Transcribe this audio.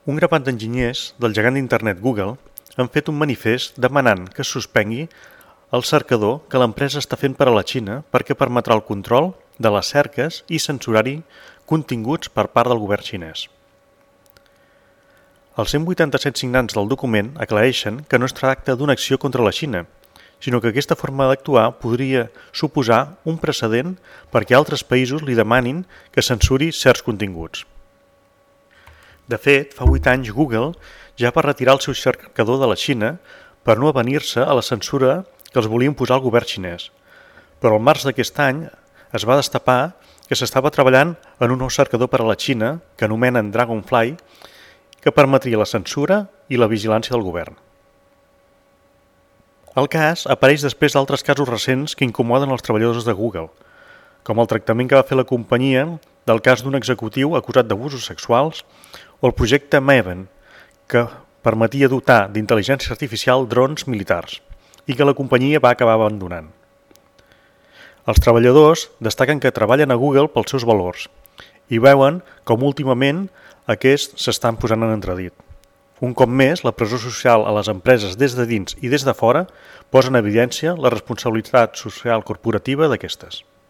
Un grapat d'enginyers del gegant d'internet Google han fet un manifest demanant que es suspengui el cercador que l'empresa està fent per a la Xina perquè permetrà el control de les cerques i censurar-hi continguts per part del govern xinès. Els 187 signants del document aclareixen que no es tracta d'una acció contra la Xina, sinó que aquesta forma d'actuar podria suposar un precedent perquè altres països li demanin que censuri certs continguts. De fet, fa 8 anys Google ja va retirar el seu cercador de la Xina per no avenir-se a la censura que els volia imposar el govern xinès. Però al març d'aquest any es va destapar que s'estava treballant en un nou cercador per a la Xina que anomenen Dragonfly, que permetria la censura i la vigilància del govern. El cas apareix després d'altres casos recents que incomoden els treballadors de Google, com el tractament que va fer la companyia del cas d'un executiu acusat d'abusos sexuals o el projecte Maven, que permetia dotar d'intel·ligència artificial drons militars i que la companyia va acabar abandonant. Els treballadors destaquen que treballen a Google pels seus valors i veuen com últimament aquests s'estan posant en entredit. Un cop més, la pressió social a les empreses des de dins i des de fora posa en evidència la responsabilitat social corporativa d'aquestes.